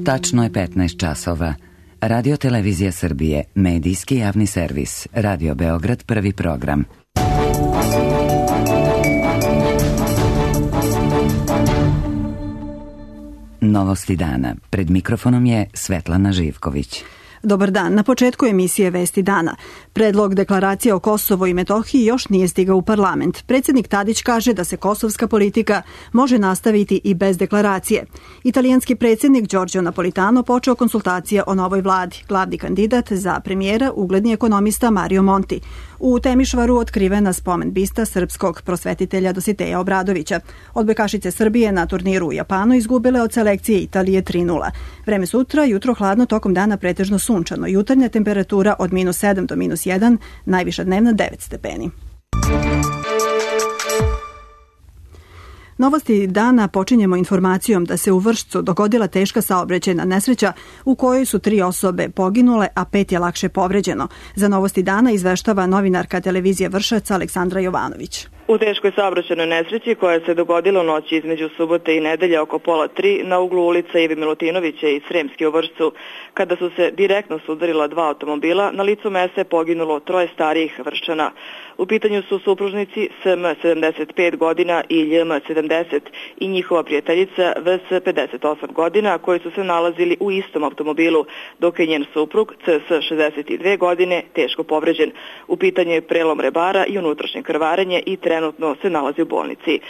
Tačno je 15 časova. Radio Televizija Srbije, medijski javni servis, Radio Beograd, prvi program. Novosti dana. Pred mikrofonom je Svetlana Živković. Dobar dan. Na početku emisije Vesti dana. Predlog deklaracije o Kosovu i Metohiji još nije stigao u parlament. Predsjednik Tadić kaže da se kosovska politika može nastaviti i bez deklaracije. Italijanski predsjednik Giorgio Napolitano počeo konsultacije o novoj vladi. Glavni kandidat za premijera, ugledni ekonomista Mario Monti. U Temišvaru otkrivena spomen bista srpskog prosvetitelja Dositeja Obradovića. Odbojkašice Srbije na turniru u Japanu izgubile od selekcije Italije 3:0. Vreme sutra, jutro hladno, tokom dana pretežno sunčano. Jutarnja temperatura od -7 do -1, najviša dnevna 9 stepeni. Novosti dana počinjemo informacijom da se u Vršcu dogodila teška saobraćajna nesreća u kojoj su 3 osobe poginule, a 5 je lakše povređeno. Za Novosti dana izveštava novinarka televizije Vršac Aleksandra Jovanović. U teškoj saobraćajnoj nesreći koja se dogodila u noći između subote i nedelje oko 2:30 na uglu ulica Ive Milutinovića i Sremski u Vršcu, kada su se direktno sudarila 2 automobila, na licu mesta je poginulo 3 starijih Vrščana. U pitanju su supružnici SM 75 godina i LM 70 i njihova prijateljica VS 58 godina, koji su se nalazili u istom automobilu, dok je njen suprug CS 62 godine teško povređen. U pitanju je prelom rebara i unutrašnje krvarenje i trenutno se nalazi u bolnici.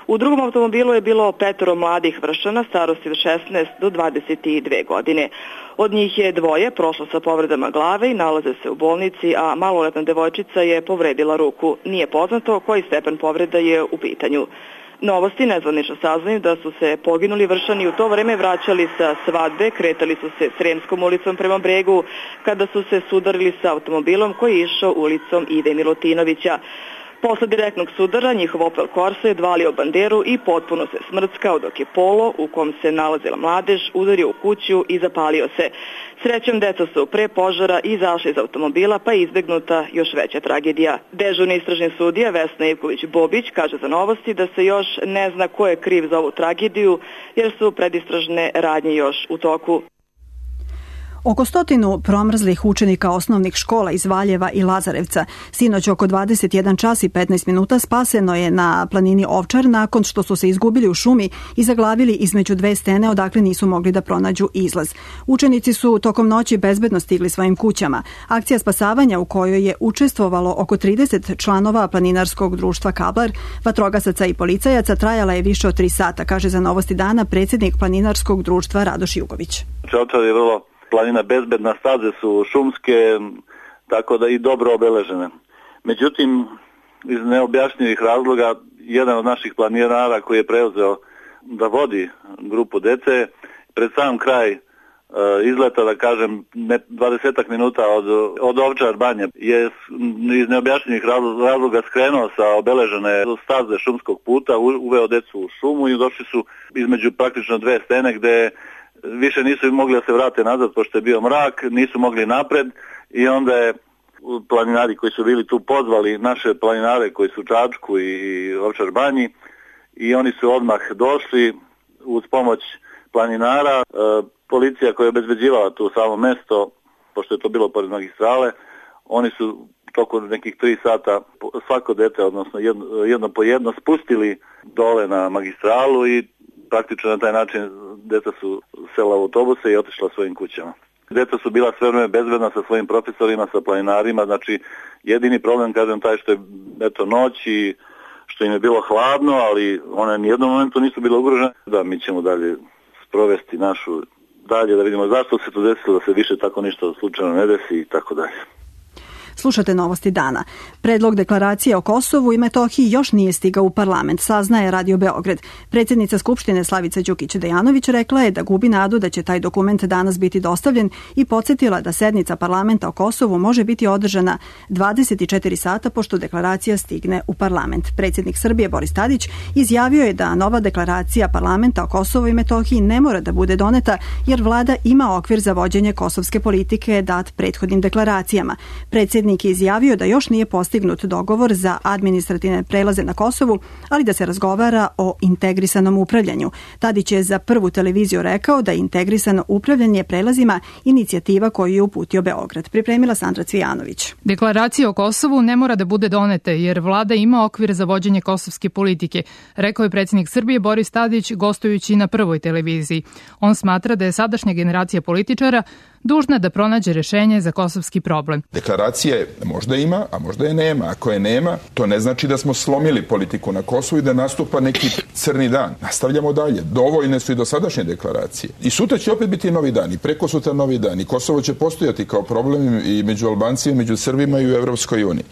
U drugom automobilu je bilo 5 mladih Vrščana starosti od 16 do 22 godine. Od njih je 2 prošlo sa povredama glave i nalaze se u bolnici, a maloletna devojčica je povredila ruku. Nije poznato koji stepen povreda je u pitanju. Novosti nezvanično saznaju da su se poginuli Vrščani u to vreme vraćali sa svadbe, kretali su se Sremskom ulicom prema Bregu, kada su se sudarili sa automobilom koji je išao ulicom Ive Milutinovića. Posle direktnog sudara njihov Opel Corsa je dvalio banderu i potpuno se smrckao, dok je Polo, u kom se nalazila mladež, udario u kuću i zapalio se. Srećom, deca su pre požara izašli iz automobila, pa je izbegnuta još veća tragedija. Dežurni istražni sudija Vesna Ivković-Bobić kaže za Novosti da se još ne zna ko je kriv za ovu tragediju, jer su predistražne radnje još u toku. Oko 100 promrzlih učenika osnovnih škola iz Valjeva i Lazarevca sinoć oko 21 čas i 15 minuta spaseno je na planini Ovčar nakon što su se izgubili u šumi i zaglavili između 2 stene odakle nisu mogli da pronađu izlaz. Učenici su tokom noći bezbedno stigli svojim kućama. Akcija spasavanja u kojoj je učestvovalo oko 30 članova planinarskog društva Kablar, vatrogasaca i policajaca trajala je više od 3 sata, kaže za Novosti dana predsjednik planinarskog društva Radoš Jugović. Ovčar je vrlo planina bezbedna, staze su šumske, tako da i dobro obeležene. Međutim, iz neobjašnjivih razloga, jedan od naših planinara koji je preuzeo da vodi grupu dece, pred sam kraj izleta, da kažem, 20 minuta od Ovčar banje, je iz neobjašnjivih razloga skrenuo sa obeležene staze šumskog puta, uveo decu u šumu i došli su između praktično 2 stene gde više nisu mogli da se vrate nazad pošto je bio mrak, nisu mogli napred i onda je planinari koji su bili tu pozvali naše planinare koji su u Čačku i Ovčar banji i oni su odmah došli uz pomoć planinara. Policija koja je obezbeđivala tu samo mesto, pošto je to bilo pored magistrale, oni su tokom nekih 3 sata svako dete, odnosno jedno po jedno, spustili dole na magistralu i praktično na taj način deca su sela u autobuse i otišla svojim kućama. Deca su bila sve vreme bezbedna sa svojim profesorima, sa planinarima, znači jedini problem, kažem, taj što je noć i što im je bilo hladno, ali one ni jednom momentu nisu bile ugrožene. Da, mi ćemo dalje sprovesti našu dalje, da vidimo zašto se to desilo, da se više tako ništa slučajno ne desi i tako dalje. Slušate Novosti dana. Predlog deklaracije o Kosovu i Metohiji još nije stigao u parlament, saznaje Radio Beograd. Predsjednica Skupštine Slavica Đukić-Dejanović rekla je da gubi nadu da će taj dokument danas biti dostavljen i podsjetila da sednica parlamenta o Kosovu može biti održana 24 sata pošto deklaracija stigne u parlament. Predsjednik Srbije Boris Tadić izjavio je da nova deklaracija parlamenta o Kosovu i Metohiji ne mora da bude doneta jer vlada ima okvir za vođenje kosovske politike dat prethodnim deklaracijama. Predsjednik Predsjednik je izjavio da još nije postignut dogovor za administrativne prelaze na Kosovu, ali da se razgovara o integrisanom upravljanju. Tadić je za Prvu televiziju rekao da je integrisano upravljanje prelazima inicijativa koju je uputio Beograd. Pripremila Sandra Cvijanović. Deklaracija o Kosovu ne mora da bude doneta jer vlada ima okvir za vođenje kosovske politike, rekao je predsjednik Srbije Boris Tadić gostujući na Prvoj televiziji. On smatra da je sadašnja generacija političara dužna da pronađe rešenje za kosovski problem. Deklaracije možda ima, a možda je nema. Ako je nema, to ne znači da smo slomili politiku na Kosovu i da nastupa neki crni dan. Nastavljamo dalje. Dovoljne su i dosadašnje deklaracije. I sutra će opet biti novi dan i preko sutra novi dan. I Kosovo će postojati kao problem i među Albancima, i među Srbima i u Evropskoj uniji.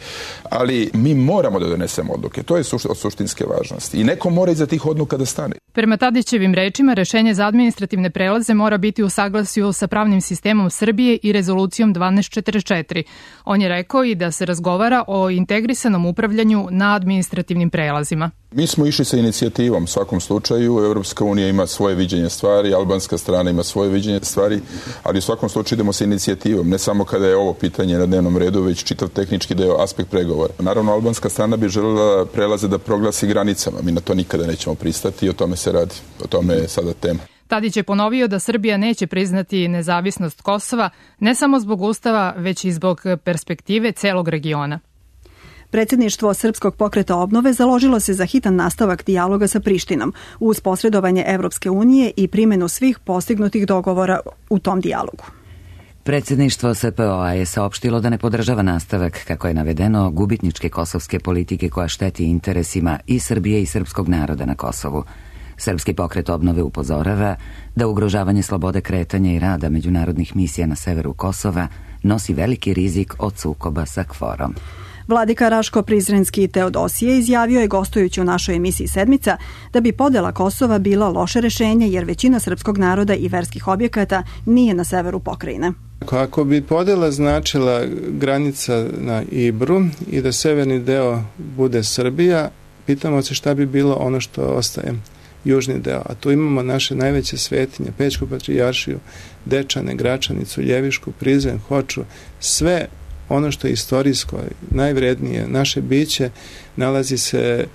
Ali mi moramo da donesemo odluke. To je od suštinske važnosti. I neko mora iza tih odluka da stane. Prema Tadićevim rečima, rešenje za administrativne prelaze mora biti u saglasju sa pravnim sistemom Srbije i rezolucijom 1244. On je rekao i da se razgovara o integrisanom upravljanju na administrativnim prelazima. Mi smo išli sa inicijativom u svakom slučaju. Evropska unija ima svoje viđenje stvari, albanska strana ima svoje viđenje stvari, ali u svakom slučaju idemo sa inicijativom, ne samo kada je ovo pitanje na dnevnom redu, već čitav tehnički deo, aspekt pregovora. Naravno, albanska strana bi željela prelaze da proglasi granicama. Mi na to nikada nećemo pristati i o tome se radi. O tome je sada tema. Tadić je ponovio da Srbija neće priznati nezavisnost Kosova ne samo zbog Ustava, već i zbog perspektive celog regiona. Predsjedništvo Srpskog pokreta obnove založilo se za hitan nastavak dijaloga sa Prištinom uz posredovanje Evropske unije i primjenu svih postignutih dogovora u tom dijalogu. Predsjedništvo SPO-a je saopštilo da ne podržava nastavak, kako je navedeno, gubitničke kosovske politike koja šteti interesima i Srbije i srpskog naroda na Kosovu. Srpski pokret obnove upozorava da ugrožavanje slobode kretanja i rada međunarodnih misija na severu Kosova nosi veliki rizik od sukoba sa KFOR-om. Vladika Raško-Prizrenski Teodosije izjavio je gostujući u našoj emisiji Sedmica da bi podela Kosova bila loše rešenje jer većina srpskog naroda i verskih objekata nije na severu pokrajine. Ako bi podela značila granica na Ibru i da severni deo bude Srbija, pitamo se šta bi bilo ono što ostaje južni deo. A tu imamo naše najveće svetinje, Pećku patrijaršiju, Dečane, Gračanicu, Ljevišku, Prizren, Hoču, sve ono što je istorijsko, najvrednije, naše biće nalazi se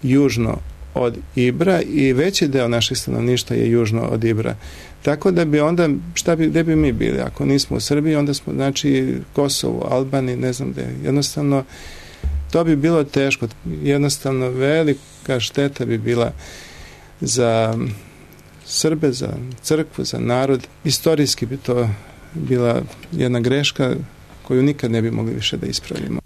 južno od Ibra i veći deo našeg stanovništva je južno od Ibra. Tako da bi onda, gde bi mi bili? Ako nismo u Srbiji, onda smo, znači, Kosovo, Albaniji, ne znam gde. Jednostavno, to bi bilo teško. Jednostavno, velika šteta bi bila za Srbe, za crkvu, za narod. Istorijski bi to bila jedna greška koju nikad ne bi mogli više da ispravimo.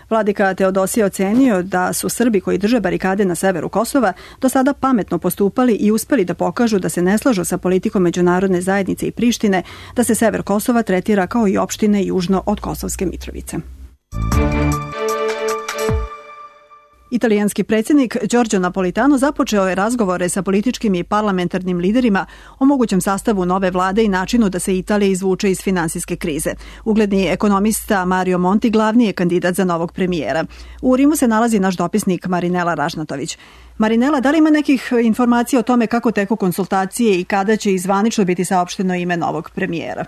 Vladika Teodosije ocenio da su Srbi koji drže barikade na severu Kosova do sada pametno postupali i uspeli da pokažu da se ne slažu sa politikom međunarodne zajednice i Prištine, da se sever Kosova tretira kao i opštine južno od Kosovske Mitrovice. Italijanski predsjednik Giorgio Napolitano započeo je razgovore sa političkim i parlamentarnim liderima o mogućem sastavu nove vlade i načinu da se Italija izvuče iz finansijske krize. Ugledni ekonomista Mario Monti glavni je kandidat za novog premijera. U Rimu se nalazi naš dopisnik Marinela Ražnatović. Marinela, da li ima nekih informacija o tome kako teku konsultacije i kada će zvanično biti saopšteno ime novog premijera?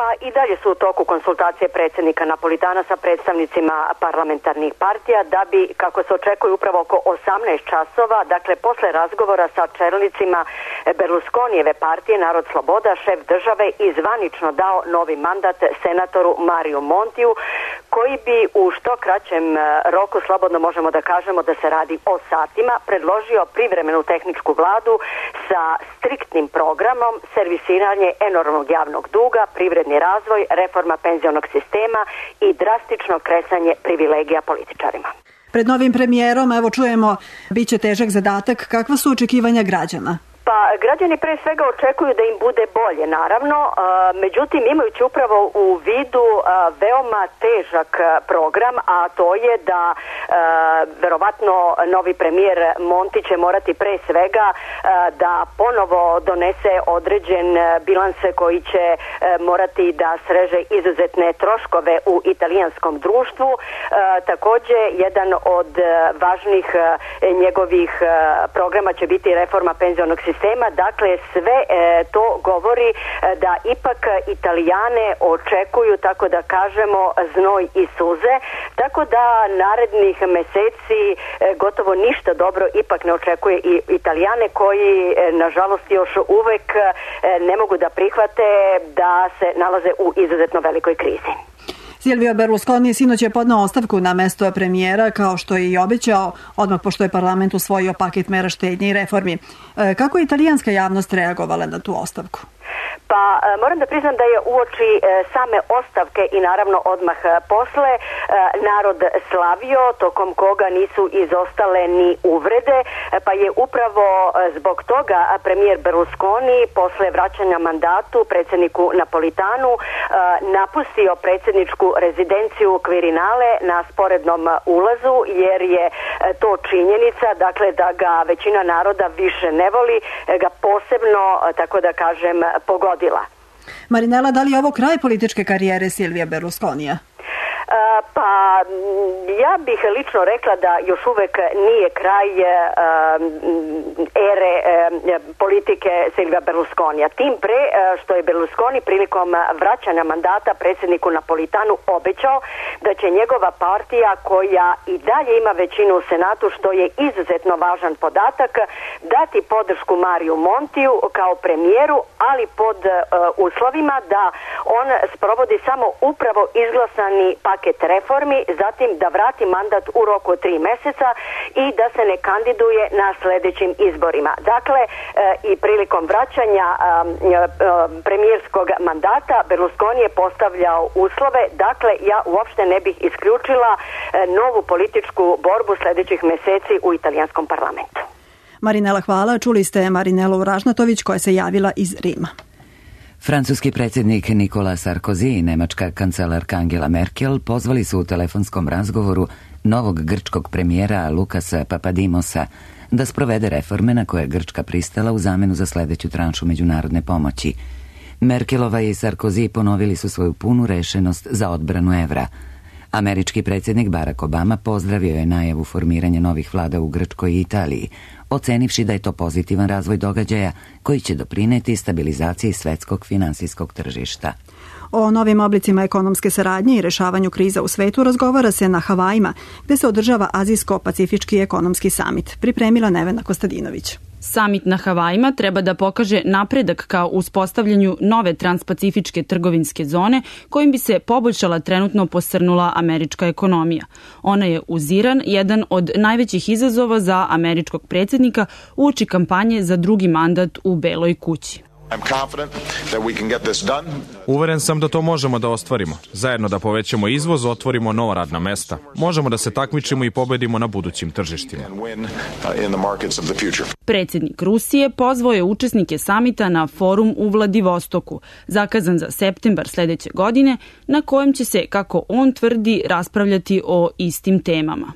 Pa i dalje su u toku konsultacije predsjednika Napolitana sa predstavnicima parlamentarnih partija da bi, kako se očekuje upravo oko 18 časova, dakle posle razgovora sa čelnicima Berlusconijeve partije Narod Sloboda, šef države i zvanično dao novi mandat senatoru Mariju Montiju, koji bi u što kraćem roku, slobodno možemo da kažemo da se radi o satima, predložio privremenu tehničku vladu sa striktnim programom, servisiranje enormnog javnog duga, privredni razvoj, reforma penzionog sistema i drastično kresanje privilegija političarima. Pred novim premijerom, evo čujemo, bit će težak zadatak. Kakva su očekivanja građana? Pa građani pre svega očekuju da im bude bolje, naravno, međutim imajući upravo u vidu veoma težak program, a to je da verovatno novi premijer Monti će morati pre svega da ponovo donese određen bilans koji će morati da sreže izuzetne troškove u italijanskom društvu. Takođe, jedan od važnih njegovih programa će biti reforma penzionog sistema sistema. Dakle, sve to govori da ipak Italijane očekuju, tako da kažemo, znoj i suze, tako da narednih meseci gotovo ništa dobro ipak ne očekuje i Italijane koji nažalost još uvek ne mogu da prihvate da se nalaze u izuzetno velikoj krizi. Silvio Berlusconi sinoć je podneo ostavku na mesto premijera, kao što je i obećao, odmah pošto je parlament usvojio paket mera štednje i reformi. Kako je italijanska javnost reagovala na tu ostavku? Pa moram da priznam da je uoči same ostavke i naravno odmah posle narod slavio, tokom koga nisu izostale ni uvrede, pa je upravo zbog toga premijer Berlusconi posle vraćanja mandatu predsjedniku Napolitanu napustio predsjedničku rezidenciju Quirinale na sporednom ulazu, jer je to činjenica, dakle da ga većina naroda više ne voli, ga posebno, tako da kažem, pogodila. Marinela, da li je ovo kraj političke karijere Silvija Berlusconija? Pa ja bih lično rekla da još uvek nije kraj ere politike Silvia Berlusconija. Tim pre što je Berlusconi prilikom vraćanja mandata predsjedniku Napolitanu obećao da će njegova partija, koja i dalje ima većinu u Senatu, što je izuzetno važan podatak, dati podršku Mariju Montiju kao premijeru, ali pod uslovima da on sprovodi samo upravo izglasani paket reformi, zatim da vrati mandat u roku od 3 meseca i da se ne kandiduje na sljedećim izborima. Dakle, i prilikom vraćanja premijerskog mandata Berlusconi je postavljao uslove, dakle ja uopšte ne bih isključila novu političku borbu sljedećih meseci u italijanskom parlamentu. Marinela, hvala. Čuli ste Marinelu Ražnatović koja se javila iz Rima. Francuski predsjednik Nicolas Sarkozy i nemačka kancelarka Angela Merkel pozvali su u telefonskom razgovoru novog grčkog premijera Lukasa Papadimosa da sprovede reforme na koje je Grčka pristala u zamenu za sljedeću tranšu međunarodne pomoći. Merkelova i Sarkozy ponovili su svoju punu rešenost za odbranu evra. Američki predsjednik Barack Obama pozdravio je najavu formiranja novih vlada u Grčkoj i Italiji, ocenivši da je to pozitivan razvoj događaja koji će doprineti stabilizaciji svetskog finansijskog tržišta. O novim oblicima ekonomske saradnje i rešavanju kriza u svetu razgovara se na Havajima, gde se održava Azijsko-Pacifički ekonomski samit. Pripremila Nevena Kostadinović. Samit na Havajima treba da pokaže napredak ka uspostavljanju nove transpacifičke trgovinske zone kojim bi se poboljšala trenutno posrnula američka ekonomija. Ona je uz Iran jedan od najvećih izazova za američkog predsjednika uoči kampanje za drugi mandat u Beloj kući. Uveren sam da to možemo da ostvarimo. Zajedno da povećamo izvoz, otvorimo nova radna mesta. Možemo da se takmičimo i pobedimo na budućim tržištima. Predsjednik Rusije pozvao je učesnike samita na forum u Vladivostoku, zakazan za septembar sljedeće godine, na kojem će se, kako on tvrdi, raspravljati o istim temama.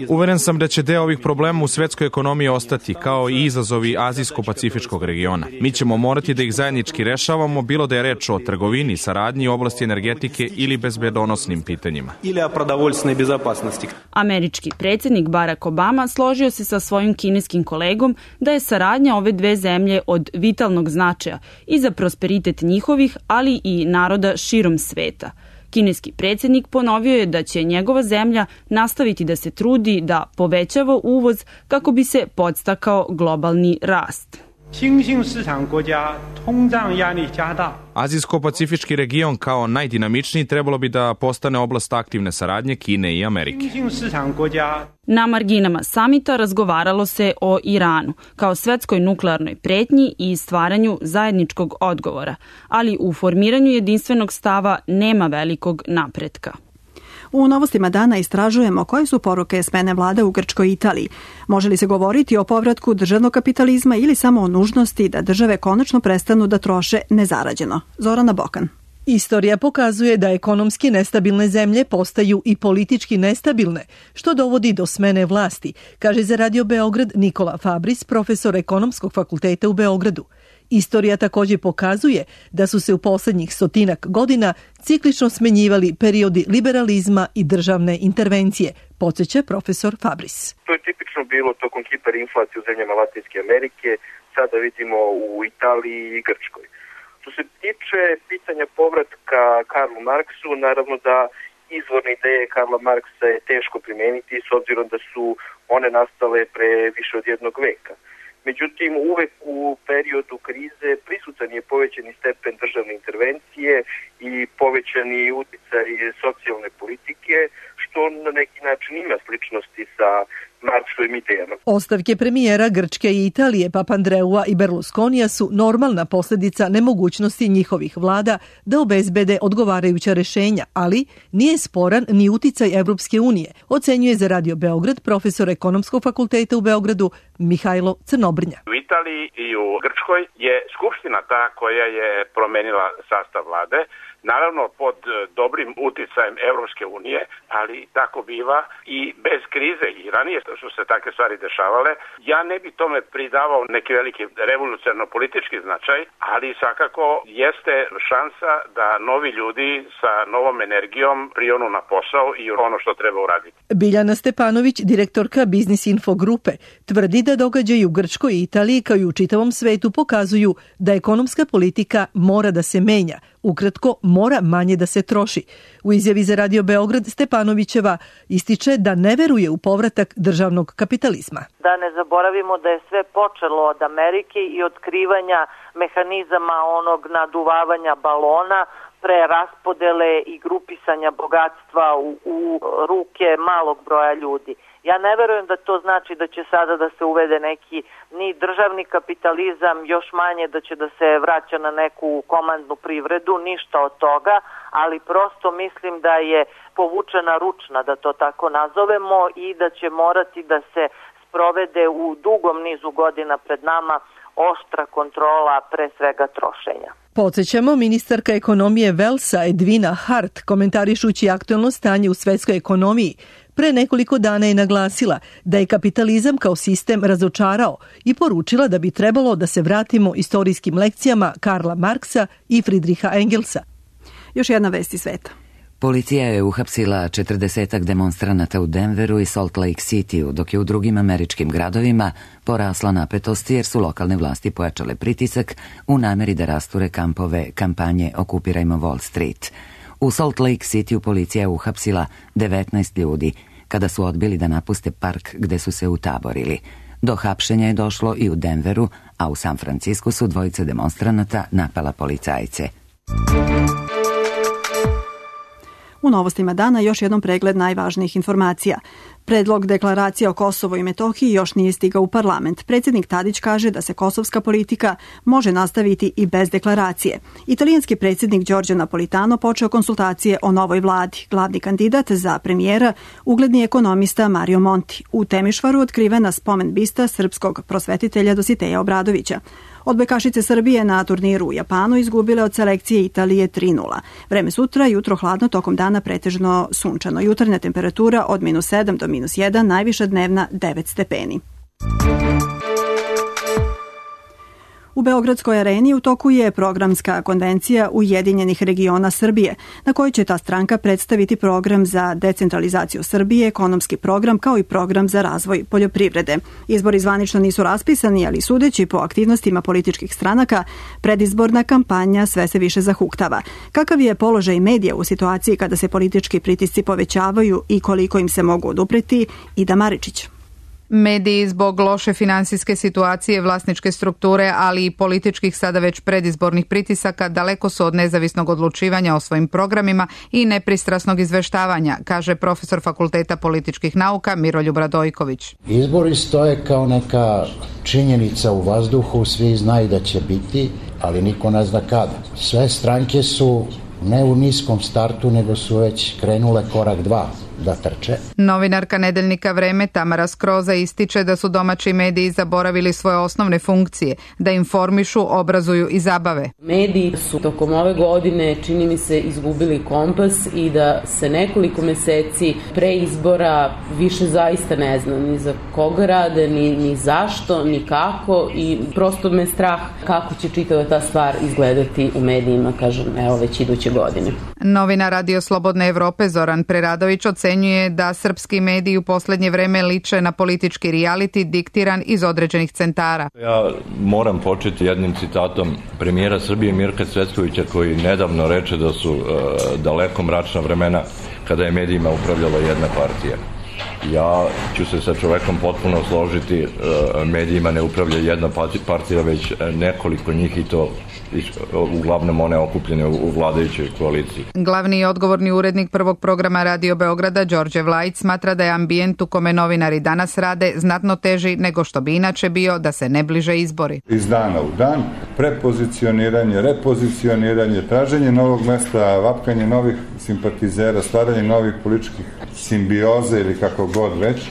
Uveren sam da će deo ovih problema u svetskoj ekonomiji ostati, kao i izazovi Azijsko-Pacifičkog regiona. Mi ćemo morati da ih zajednički rešavamo, bilo da je reč o trgovini, saradnji, oblasti energetike ili bezbedonosnim pitanjima. Američki predsjednik Barack Obama složio se sa svojim kineskim kolegom da je saradnja ove dve zemlje od vitalnog značaja i za prosperitet njihovih, ali i naroda širom sveta. Kineski predsjednik ponovio je da će njegova zemlja nastaviti da se trudi da povećava uvoz kako bi se podstakao globalni rast. Azijsko-pacifički region kao najdinamičniji trebalo bi da postane oblast aktivne saradnje Kine i Amerike. Na marginama samita razgovaralo se o Iranu kao svetskoj nuklearnoj pretnji i stvaranju zajedničkog odgovora, ali u formiranju jedinstvenog stava nema velikog napretka. U novostima dana istražujemo koje su poruke smene vlade u Grčkoj i Italiji. Može li se govoriti o povratku državnog kapitalizma ili samo o nužnosti da države konačno prestanu da troše nezarađeno? Zorana Bokan. Istorija pokazuje da ekonomski nestabilne zemlje postaju i politički nestabilne, što dovodi do smene vlasti, kaže za Radio Beograd Nikola Fabris, profesor ekonomskog fakulteta u Beogradu. Istorija također pokazuje da su se u posljednjih 100 godina ciklično smenjivali periodi liberalizma i državne intervencije, podsjeća profesor Fabris. To je tipično bilo tokom hiperinflacije u zemljama Latinske Amerike, sada vidimo u Italiji i Grčkoj. Što se tiče pitanja povratka Karlu Marksu, naravno da izvorne ideje Karla Marksa je teško primeniti s obzirom da su one nastale pre više od jednog veka. Međutim, uvek u periodu krize prisutan je povećani stepen državne intervencije i povećani uticaj socijalne politike, što na neki način ima sličnosti sa Marksovim idejama. Ostavke premijera Grčke i Italije, Papandreua i Berlusconija su normalna posljedica nemogućnosti njihovih vlada da obezbede odgovarajuća rešenja, ali nije sporan ni uticaj Evropske unije, ocenjuje za Radio Beograd profesor Ekonomskog fakulteta u Beogradu Mihajlo Crnobrnja. U Italiji i u Grčkoj je Skupština ta koja je promenila sastav vlade, naravno pod dobrim uticajem Evropske unije, ali tako biva i bez krize i ranije su se takve stvari dešavale. Ja ne bi tome pridavao neki veliki revolucionarno-politički značaj, ali svakako jeste šansa da novi ljudi sa novom energijom prionu na posao i ono što treba uraditi. Biljana Stepanović, direktorka Biznis Info grupe, tvrdi da događaji u Grčkoj i Italiji kao i u čitavom svetu pokazuju da ekonomska politika mora da se menja. Ukratko, mora manje da se troši. U izjavi za Radio Beograd Stepanovićeva ističe da ne veruje u povratak državnog kapitalizma. Da ne zaboravimo da je sve počelo od Amerike i otkrivanja mehanizama onog naduvavanja balona, preraspodele i grupisanja bogatstva u ruke malog broja ljudi. Ja ne verujem da to znači da će sada da se uvede neki ni državni kapitalizam, još manje da će da se vraća na neku komandnu privredu, ništa od toga, ali prosto mislim da je povučena ručna, da to tako nazovemo, i da će morati da se sprovede u dugom nizu godina pred nama oštra kontrola pre svega trošenja. Podsjećamo, ministarka ekonomije Velsa Edvina Hart, komentarišući aktuelno stanje u svetskoj ekonomiji, pre nekoliko dana je naglasila da je kapitalizam kao sistem razočarao i poručila da bi trebalo da se vratimo istorijskim lekcijama Karla Marksa i Friedricha Engelsa. Još jedna vest iz sveta. Policija je uhapsila 40 demonstranata u Denveru i Salt Lake Cityu, dok je u drugim američkim gradovima porasla napetost jer su lokalne vlasti pojačale pritisak u nameri da rasture kampanje Okupirajmo Wall Street. U Salt Lake Cityu policija je uhapsila 19 ljudi kada su odbili da napuste park gde su se utaborili. Do hapšenja je došlo i u Denveru, a u San Francisku su dvojica demonstranata napala policajce. U novostima dana još jednom pregled najvažnijih informacija. Predlog deklaracije o Kosovu i Metohiji još nije stigao u parlament. Predsjednik Tadić kaže da se kosovska politika može nastaviti i bez deklaracije. Italijanski predsjednik Giorgio Napolitano počeo konsultacije o novoj vladi. Glavni kandidat za premijera, ugledni ekonomista Mario Monti. U Temišvaru otkrivena spomen bista srpskog prosvetitelja Dositeja Obradovića. Odbojkašice Srbije na turniru u Japanu izgubile od selekcije Italije 3:0. Vreme sutra, jutro hladno, tokom dana pretežno sunčano. Jutarnja temperatura od -7 do -1, najviša dnevna 9 stepeni. U Beogradskoj areni u toku je programska konvencija Ujedinjenih regiona Srbije, na kojoj će ta stranka predstaviti program za decentralizaciju Srbije, ekonomski program kao i program za razvoj poljoprivrede. Izbori zvanično nisu raspisani, ali sudeći po aktivnostima političkih stranaka, predizborna kampanja sve se više zahuktava. Kakav je položaj medija u situaciji kada se politički pritisci povećavaju i koliko im se mogu odupreti? Ida Maričić. Mediji zbog loše finansijske situacije, vlasničke strukture, ali i političkih sada već predizbornih pritisaka daleko su od nezavisnog odlučivanja o svojim programima i nepristrasnog izveštavanja, kaže profesor Fakulteta političkih nauka Miroljub Radojković. Izbori stoje kao neka činjenica u vazduhu, svi znaju da će biti, ali niko ne zna kada. Sve stranke su ne u niskom startu, nego su već krenule korak 2 da trče. Novinarka nedeljnika Vreme Tamara Skroza ističe da su domaći mediji zaboravili svoje osnovne funkcije, da informišu, obrazuju i zabave. Mediji su tokom ove godine, čini mi se, izgubili kompas i da se nekoliko meseci pre izbora više zaista ne zna ni za koga rade, ni zašto, ni kako, i prosto me strah kako će čitava ta stvar izgledati u medijima, kažem, evo već iduće godine. Novina Radio Slobodne Evrope Zoran Preradović ocenjuje ocenjuje da srpski mediji u poslednje vreme liče na politički reality diktiran iz određenih centara. Ja moram početi jednim citatom premijera Srbije Mirka Cvetkovića, koji nedavno reče da su daleko mračna vremena kada je medijima upravljala jedna partija. Ja ću se sa čovekom potpuno složiti, medijima ne upravlja jedna partija, već nekoliko njih, i to uglavnom one okupljene u vladajućoj koaliciji. Glavni i odgovorni urednik prvog programa Radio Beograda, Đorđe Vlajić, smatra da je ambijent u kome novinari danas rade znatno teži nego što bi inače bio da se ne bliže izbori. Iz dana u dan, prepozicioniranje, repozicioniranje, traženje novog mesta, vapkanje novih simpatizera, stvaranje novih političkih simbioze ili kako god već.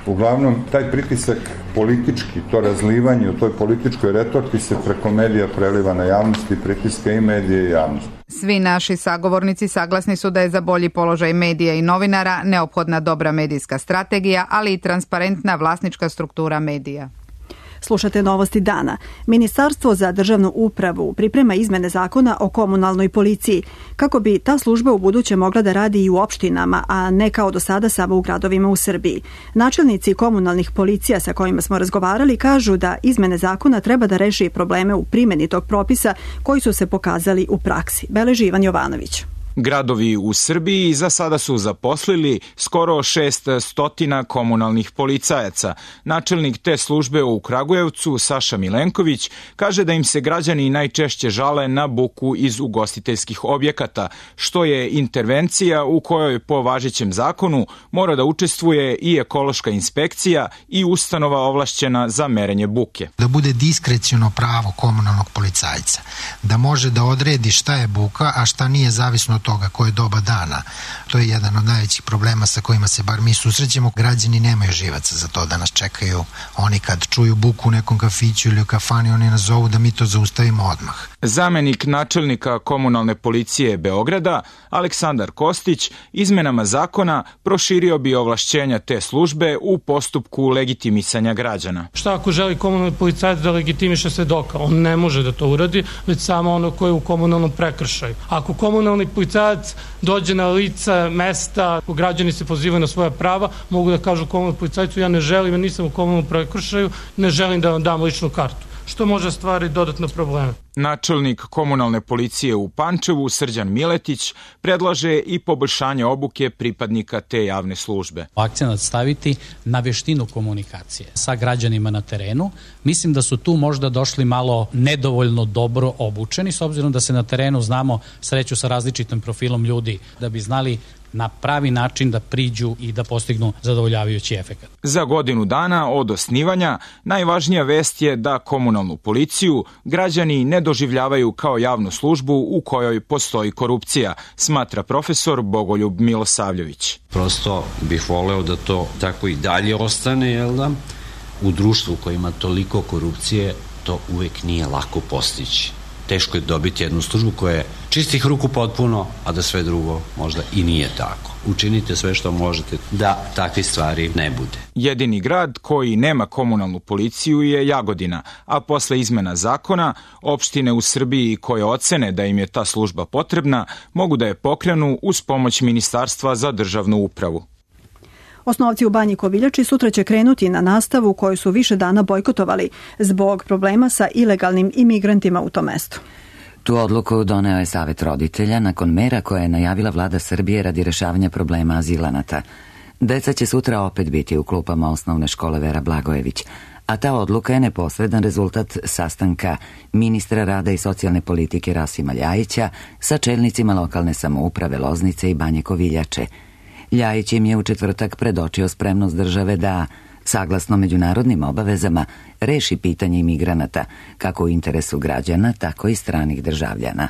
Uglavnom, taj pritisak politički, to razlivanje u toj političkoj retorki se preko medija preliva na javnosti, pritiska i medije i javnosti. Svi naši sagovornici saglasni su da je za bolji položaj medija i novinara neophodna dobra medijska strategija, ali i transparentna vlasnička struktura medija. Slušate Novosti dana. Ministarstvo za državnu upravu priprema izmene zakona o komunalnoj policiji, kako bi ta služba u buduće mogla da radi i u opštinama, a ne kao do sada samo u gradovima u Srbiji. Načelnici komunalnih policija sa kojima smo razgovarali kažu da izmene zakona treba da reši probleme u primjeni tog propisa koji su se pokazali u praksi. Beleži Ivan Jovanović. Gradovi u Srbiji za sada su zaposlili skoro 600 komunalnih policajaca. Načelnik te službe u Kragujevcu, Saša Milenković, kaže da im se građani najčešće žale na buku iz ugostiteljskih objekata, što je intervencija u kojoj po važećem zakonu mora da učestvuje i ekološka inspekcija i ustanova ovlašćena za merenje buke. Da bude diskreciono pravo komunalnog policajca, da može da odredi šta je buka, a šta nije, zavisno od toga koje doba dana. To je jedan od najvećih problema sa kojima se bar mi susrećemo. Građani nemaju živaca za to da nas čekaju. Oni kad čuju buku u nekom kafiću ili u kafani, oni nas zovu da mi to zaustavimo odmah. Zamenik načelnika komunalne policije Beograda, Aleksandar Kostić, izmenama zakona proširio bi ovlašćenja te službe u postupku legitimisanja građana. Šta ako želi komunalni policajac da legitimiše svedoka? On ne može da to uradi, već samo ono koje je u komunalnom prekršaju. Ako komunalni policajac dođe na lice mesta, ako građani se pozivaju na svoja prava, mogu da kažu komunalnom policajcu: ja ne želim, ja nisam u komunalnom prekršaju, ne želim da vam dam ličnu kartu, što može stvariti dodatne probleme. Načelnik komunalne policije u Pančevu, Srđan Miletić, predlaže i poboljšanje obuke pripadnika te javne službe. Akcenat staviti na veštinu komunikacije sa građanima na terenu. Mislim da su tu možda došli malo nedovoljno dobro obučeni, s obzirom da se na terenu znamo sreću sa različitim profilom ljudi, da bi znali na pravi način da priđu i da postignu zadovoljavajući efekat. Za godinu dana od osnivanja najvažnija vest je da komunalnu policiju građani ne doživljavaju kao javnu službu u kojoj postoji korupcija, smatra profesor Bogoljub Milosavljević. Prosto bih voleo da to tako i dalje ostane, jel da? U društvu koji ima toliko korupcije to uvek nije lako postići. Teško je dobiti jednu službu koja je čistih ruku potpuno, a da sve drugo možda i nije tako. Učinite sve što možete da takve stvari ne bude. Jedini grad koji nema komunalnu policiju je Jagodina, a posle izmena zakona, opštine u Srbiji koje ocene da im je ta služba potrebna, mogu da je pokrenu uz pomoć Ministarstva za državnu upravu. Osnovci u Banji Koviljači sutra će krenuti na nastavu koju su više dana bojkotovali zbog problema sa ilegalnim imigrantima u tom mestu. Tu odluku doneo je Savet roditelja nakon mera koje je najavila vlada Srbije radi rešavanja problema azilanata. Deca će sutra opet biti u klupama osnovne škole Vera Blagojević, a ta odluka je neposredan rezultat sastanka ministra rada i socijalne politike Rasima Ljajića sa čelnicima lokalne samouprave Loznice i Banje Koviljače. Ljajić im je u četvrtak predočio spremnost države da, saglasno međunarodnim obavezama, reši pitanje imigranata, kako u interesu građana, tako i stranih državljana.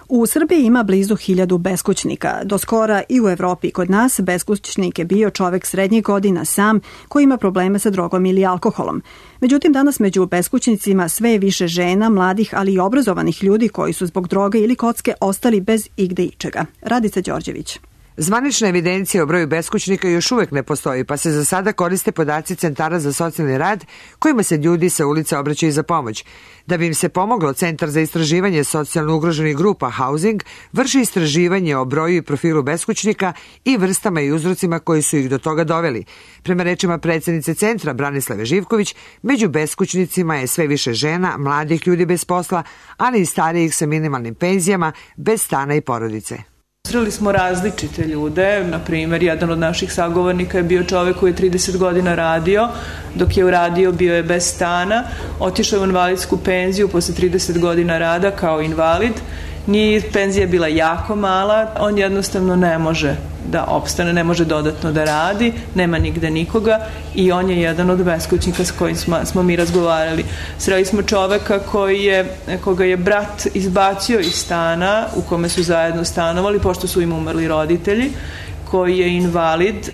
U Srbiji ima blizu 1000 beskućnika. Do skora i u Evropi i kod nas beskućnik je bio čovek srednjih godina sam koji ima probleme sa drogom ili alkoholom. Međutim, danas među beskućnicima sve je više žena, mladih, ali i obrazovanih ljudi koji su zbog droge ili kocke ostali bez igde ičega. Radica Đorđević. Zvanična evidencija o broju beskućnika još uvek ne postoji, pa se za sada koriste podaci centara za socijalni rad kojima se ljudi sa ulice obraćaju za pomoć. Da bi im se pomoglo, Centar za istraživanje socijalno ugroženih grupa Housing vrši istraživanje o broju i profilu beskućnika i vrstama i uzrocima koji su ih do toga doveli. Prema rečima predsednice centra Branislave Živković, među beskućnicima je sve više žena, mladih ljudi bez posla, ali i starijih sa minimalnim penzijama, bez stana i porodice. Sreli smo različite ljude, na primjer, jedan od naših sagovornika je bio čovek koji je 30 godina radio, dok je uradio bio je bez stana, otišao u invalidsku penziju posle 30 godina rada kao invalid, penzija je bila jako mala, on jednostavno ne može da opstane, ne može dodatno da radi, nema nigde nikoga i on je jedan od beskućnika s kojim smo mi razgovarali. Sreli smo čoveka koga je brat izbacio iz stana u kome su zajedno stanovali, pošto su im umrli roditelji, koji je invalid.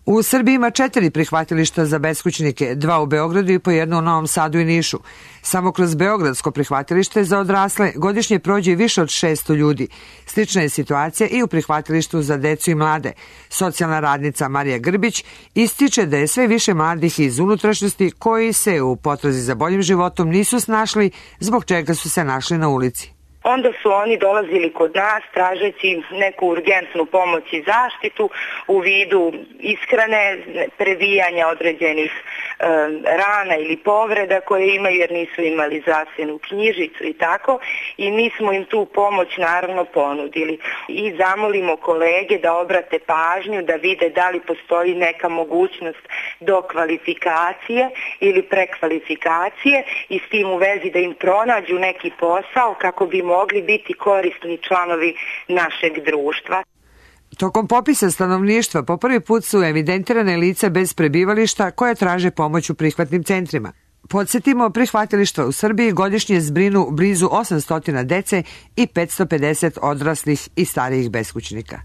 U Srbiji ima 4 prihvatilišta za beskućnike, 2 u Beogradu i po jedno u Novom Sadu i Nišu. Samo kroz Beogradsko prihvatilište za odrasle godišnje prođe više od 600 ljudi. Slična je situacija i u prihvatilištu za decu i mlade. Socijalna radnica Marija Grbić ističe da je sve više mladih iz unutrašnjosti koji se u potrazi za boljim životom nisu snašli, zbog čega su se našli na ulici. Onda su oni dolazili kod nas tražeći neku urgentnu pomoć i zaštitu u vidu ishrane, previjanja određenih rana ili povreda koje imaju jer nisu imali zdravstvenu knjižicu i tako. I mi smo im tu pomoć naravno ponudili. I zamolimo kolege da obrate pažnju, da vide da li postoji neka mogućnost dokvalifikacije ili prekvalifikacije i s tim u vezi da im pronađu neki posao kako bi mogli biti korisni članovi našeg društva. Tokom popisa stanovništva po prvi put su evidentirane lica bez prebivališta koje traže pomoć u prihvatnim centrima. Podsjetimo, prihvatilištva u Srbiji godišnje zbrinu blizu 800 dece i 550 odraslih i starijih beskućnika.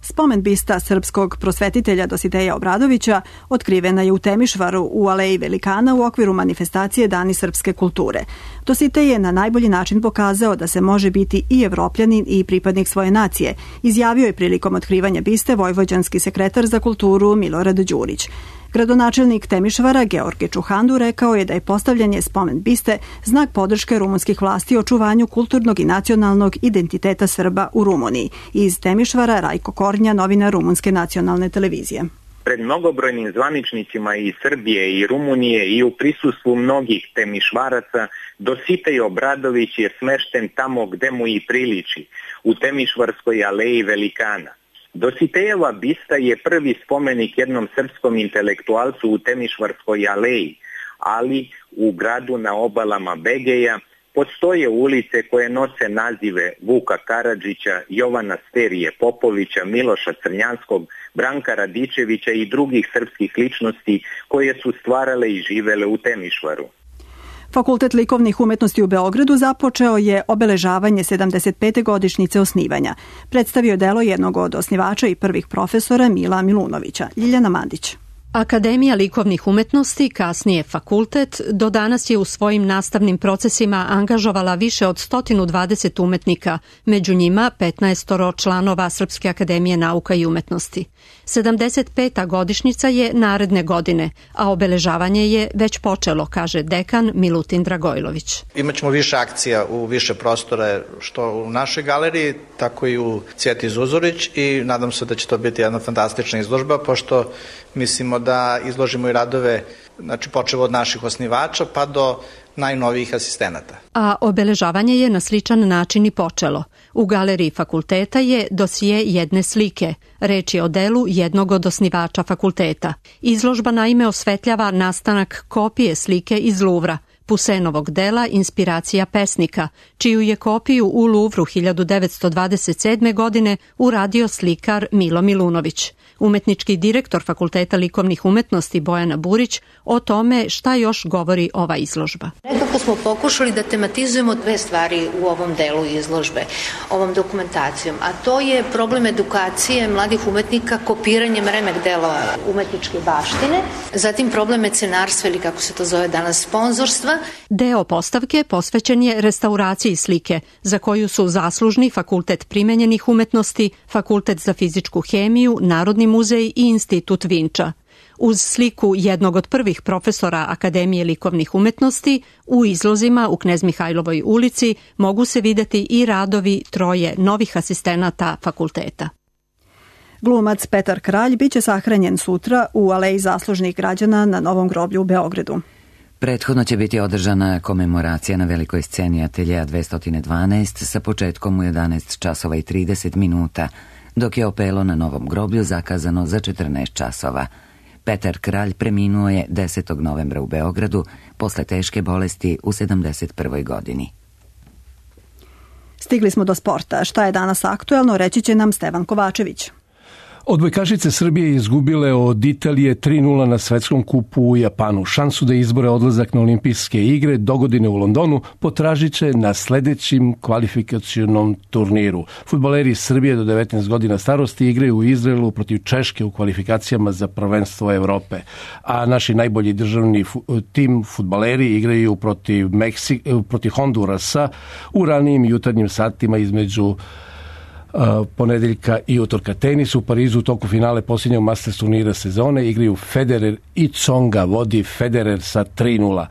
Spomen bista srpskog prosvetitelja Dositeja Obradovića otkrivena je u Temišvaru u Aleji Velikana u okviru manifestacije Dani srpske kulture. Dositej je na najbolji način pokazao da se može biti i evropljanin i pripadnik svoje nacije, izjavio je prilikom otkrivanja biste vojvođanski sekretar za kulturu Milorad Đurić. Gradonačelnik Temišvara George Čuhandu rekao je da je postavljanje spomen biste znak podrške rumunskih vlasti očuvanju kulturnog i nacionalnog identiteta Srba u Rumuniji. Iz Temišvara Rajko Kornja, novinar Rumunske nacionalne televizije. Pred mnogobrojnim zvaničnicima i Srbije i Rumunije i u prisustvu mnogih Temišvaraca Dositej Obradović je smešten tamo gde mu i priliči, u Temišvarskoj aleji Velikana. Dositejeva bista je prvi spomenik jednom srpskom intelektualcu u Temišvarskoj aleji, ali u gradu na obalama Begeja postoje ulice koje nose nazive Vuka Karadžića, Jovana Sterije Popovića, Miloša Crnjanskog, Branka Radičevića i drugih srpskih ličnosti koje su stvarale i živele u Temišvaru. Fakultet likovnih umetnosti u Beogradu započeo je obeležavanje 75. godišnjice osnivanja. Predstavio delo jednog od osnivača i prvih profesora Mila Milunovića. Ljiljana Mandić. Akademija likovnih umetnosti, kasnije fakultet, do danas je u svojim nastavnim procesima angažovala više od 120 umetnika, među njima 15 članova Srpske akademije nauka i umetnosti. 75. godišnjica je naredne godine, a obeležavanje je već počelo, kaže dekan Milutin Dragojlović. Imaćemo više akcija u više prostora, što u našoj galeriji, tako i u Cvjeti Zuzorić i nadam se da će to biti jedna fantastična izložba, pošto mislimo da izložimo i radove, znači počev od naših osnivača pa do najnovijih asistenata. A obeležavanje je na sličan način i počelo. U galeriji fakulteta je dosije jedne slike. Reč je o delu jednog od osnivača fakulteta. Izložba naime osvetljava nastanak kopije slike iz Luvra, Pusenovog dela Inspiracija pesnika, čiju je kopiju u Luvru 1927. godine uradio slikar Milo Milunović. Umetnički direktor Fakulteta likovnih umetnosti Bojana Burić o tome šta još govori ova izložba. Nekako smo pokušali da tematizujemo dve stvari u ovom delu izložbe, ovom dokumentacijom, a to je problem edukacije mladih umetnika kopiranjem remek dela umetničke baštine, zatim problem mecenarstva ili kako se to zove danas sponzorstva sredstava. Deo postavke posvećen je restauraciji slike, za koju su zaslužni Fakultet primenjenih umetnosti, Fakultet za fizičku hemiju, Narodni muzej i Institut Vinča. Uz sliku jednog od prvih profesora Akademije likovnih umetnosti, u izlozima u Knez Mihajlovoj ulici mogu se videti i radovi troje novih asistenata fakulteta. Glumac Petar Kralj biće sahranjen sutra u Aleji zaslužnih građana na Novom groblju u Beogradu. Prethodno će biti održana komemoracija na velikoj sceni Ateljeja 212 sa početkom u 11 časova i 30 minuta, dok je opelo na Novom groblju zakazano za 14 časova. Petar Kralj preminuo je 10. novembra u Beogradu posle teške bolesti u 71. godini. Stigli smo do sporta. Šta je danas aktuelno, reći će nam Stevan Kovačević. Odbojkašice Srbije izgubile od Italije 3:0 na svetskom kupu u Japanu. Šansu da izbore odlazak na olimpijske igre dogodine u Londonu potražit će na sledećim kvalifikacionom turniru. Fudbaleri Srbije do 19 godina starosti igraju u Izraelu protiv Češke u kvalifikacijama za prvenstvo Evrope. A naši najbolji državni tim fudbaleri igraju protiv Hondurasa u ranijim jutarnjim satima između ponedeljka i utorka. Tenis u Parizu u toku finale posljednjeg Masters turnira sezone igraju Federer i Tsonga, vodi Federer sa 3:0.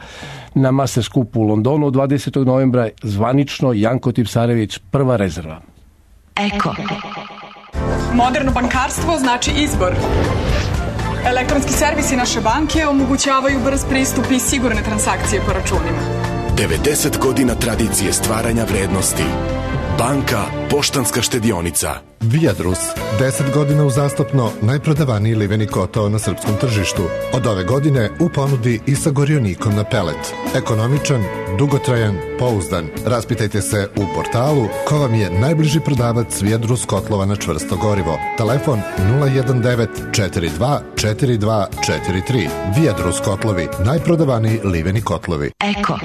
Na Masters kupu u Londonu od 20. novembra zvanično Janko Tipsarević prva rezerva. Eko. Moderno bankarstvo znači izbor. Elektronski servisi naše banke omogućavaju brz pristup i sigurne transakcije po računima. 90 godina tradicije stvaranja vrednosti. Banka Poštanska štedionica. Viadrus, 10 godina uzastopno najprodavaniji liveni kotao na srpskom tržištu. Od ove godine u ponudi i sa gorionikom na pelet. Ekonomičan, dugotrajan, pouzdan. Raspitajte se u portalu ko vam je najbliži prodavac Viadrus kotlova na čvrsto gorivo. Telefon 019 42 42 43. Viadrus kotlovi, najprodavaniji liveni kotlovi. Eko.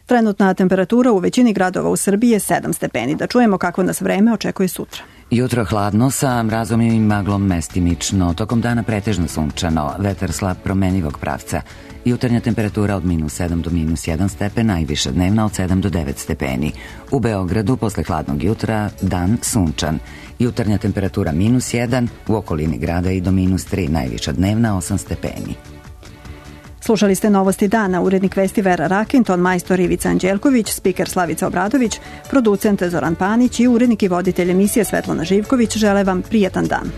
Trenutna temperatura u većini gradova u Srbiji je 7 stepeni. Da čujemo kako nas vreme očekuje sutra. Jutro hladno sa mrazom i maglom mestimično. Tokom dana pretežno sunčano, vetar slab promenivog pravca. Jutarnja temperatura od -7 do -1 stepen, najviša dnevna od 7 do 9 stepeni. U Beogradu posle hladnog jutra dan sunčan. Jutarnja temperatura -1, u okolini grada i do -3, najviša dnevna 8 stepeni. Slušali ste Novosti dana, urednik vesti Vera Rakin, ton majstor Ivica Anđelković, spiker Slavica Obradović, producent Zoran Panić i urednik i voditelj emisije Svetlana Živković žele vam prijatan dan.